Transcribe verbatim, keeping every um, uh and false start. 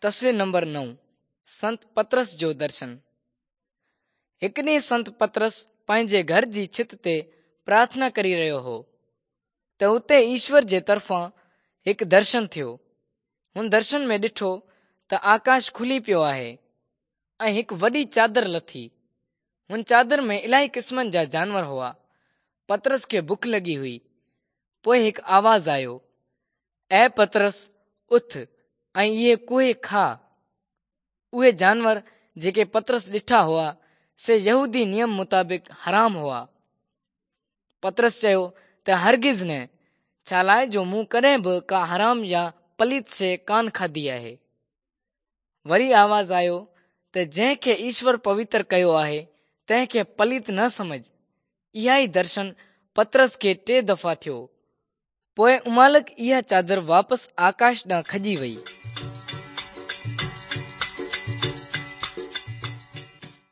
تصوير نمبر نو، سنت پطرس جو درشن. هڪ ڏينهن سنت پطرس پنهنجي گهر جي ڇت تي پرارٿنا ڪري رهيو هو ته اتي ايشور جي طرفان هڪ درشن ٿيو. هن درشن ۾ ڏٺو ته آڪاش کلي پيو آهي ۽ هڪ وڏي چادر لٿي. هن چادر ۾ الاهي قسمن جا جانور هئا. پطرس کي بک لڳي هئي. پوءِ هڪ آواز آيو، اي پطرس، اٿ ۽ اهي ڪهي کاءُ. اهي جانور جيڪي پطرس ڏٺا هئا سي يهودي نيم مطابق حرام هئا. پطرس چيو ته هرگز نه، ڇا لاءِ جو مون ڪڏهن به ڪا حرام يا پليت شيءِ ڪانه کاڌي آهي. وري آواز آيو ته جنهن کي ايشور پوتر ڪيو آهي تنهن کي پليت نه سمجهه. اها ئي درشن پطرس کي ٽي دفعا ٿيو. پوءِ امالڪ اها چادر واپس آڪاش ڏانهن کڄي وئي.